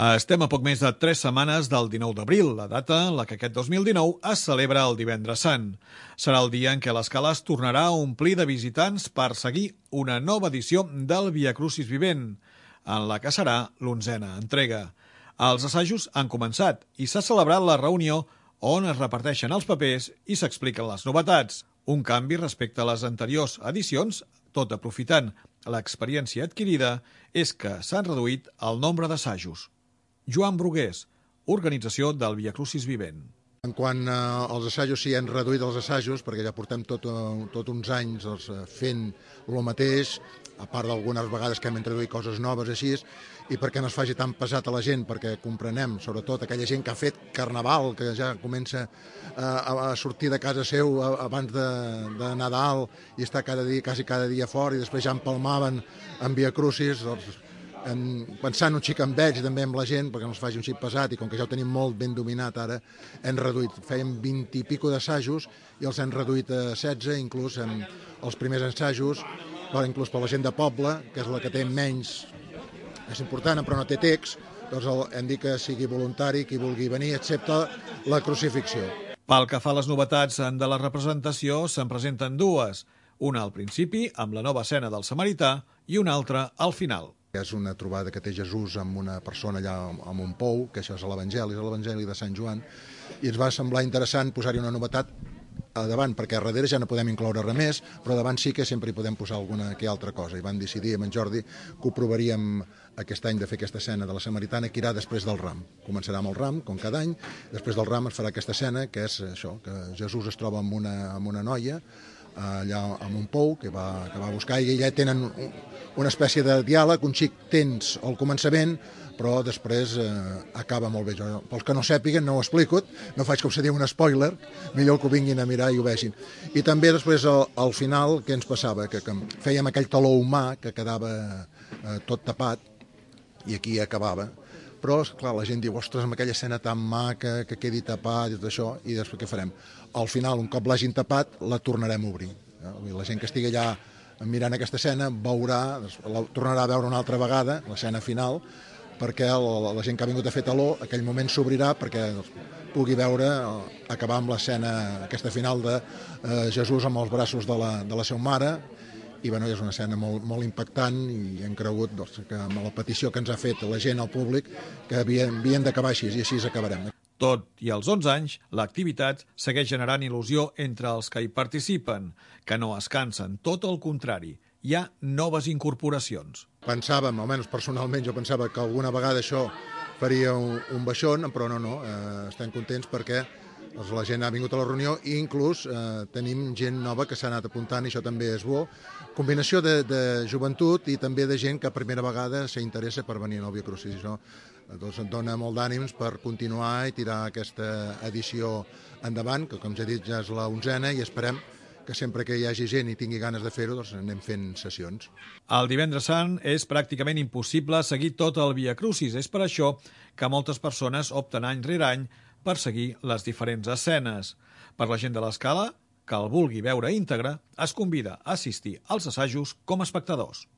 Estem a poc més de 3 setmanes del 19 d'abril, la data en la que aquest 2019 es celebra el Divendres Sant. Serà el dia en què l'Escala es tornarà a omplir de visitants per seguir una nova edició del Via Crucis Vivent, en la que serà l'11a entrega. Els assajos han començat i s'ha celebrat la reunió on es reparteixen els papers i s'expliquen les novetats. Un canvi respecte a les anteriors edicions, tot aprofitant l'experiència adquirida, és que s'han reduït el nombre d'assajos. Joan Brugués, organització del Via Crucis Vivent. En quant als assajos, sí, hem reduït els assajos, perquè ja portem tot uns anys fent el mateix, a part d'algunes vegades que hem introduït coses noves així, i perquè no es faci tan pesat a la gent, perquè comprenem, sobretot aquella gent que ha fet carnaval, que ja comença a sortir de casa seu abans de Nadal i està quasi cada dia fora, i després ja empalmaven en Via Crucis, pensant un xic amb ells, també amb la gent, perquè no es faci un xic pesat, i com que ja ho tenim molt ben dominat ara, hem reduït, fèiem 20 i pico d'assajos i els hem reduït a 16, inclús en els primers assajos, però inclús per la gent de poble, que és la que té menys, és important, però no té text, doncs hem dit que sigui voluntari qui vulgui venir, excepte la crucifixió. Pel que fa a les novetats de la representació, se'n presenten dues, una al principi, amb la nova escena del Samarità, i una altra al final. És una trobada que té Jesús amb una persona allà amb un pou, que això és l'Evangeli de Sant Joan, i ens va semblar interessant posar-hi una novetat a davant, perquè a darrere ja no podem incloure res més, però davant sí que sempre hi podem posar alguna que altra cosa. I vam decidir amb en Jordi que ho provaríem aquest any de fer aquesta escena de la Samaritana, que irà després del ram. Començarà amb el ram, com cada any, després del ram es farà aquesta escena, que és això, que Jesús es troba amb una noia, allà amb un pou que va buscar, i ja tenen una espècie de diàleg, un xic tens al començament, però després acaba molt bé. Pels que no sàpiguen, no ho explico, no faig com se diu un spoiler, millor que ho vinguin a mirar i ho vegin. I també després al final, què ens passava? Que fèiem aquell taló humà que quedava tot tapat, i aquí acabava. Però, clar, la gent diu, ostres, amb aquella escena tan maca, que quedi tapat i tot això, i després què farem? Al final, un cop l'hagin tapat, la tornarem a obrir. La gent que estigui allà mirant aquesta escena veurà, la tornarà a veure una altra vegada, l'escena final, perquè la gent que ha vingut a fer taló, aquell moment s'obrirà perquè pugui veure, acabar amb l'escena aquesta final de Jesús amb els braços de la seva mare. I bueno, és una escena molt impactant, i hem cregut que amb la petició que ens ha fet la gent, al públic, que havien d'acabar així, i així acabarem. Tot i als 11 anys, l'activitat segueix generant il·lusió entre els que hi participen, que no es cansen, tot el contrari. Hi ha noves incorporacions. Pensàvem, almenys personalment, jo pensava que alguna vegada això faria un baixón, però no, estem contents perquè la gent ha vingut a la reunió, i inclús tenim gent nova que s'ha anat apuntant, i això també és bo. Combinació de joventut i també de gent que a primera vegada s'interessa per venir al Via Crucis. Això ens dona molt d'ànims per continuar i tirar aquesta edició endavant, que com ja he dit ja és la 11a, i esperem que sempre que hi hagi gent i tingui ganes de fer-ho, doncs anem fent sessions. El Divendres Sant és pràcticament impossible seguir tot el Via Crucis. És per això que moltes persones opten any rere any per seguir les diferents escenes. Per la gent de l'Escala, que el vulgui veure íntegre, es convida a assistir als assajos com a espectadors.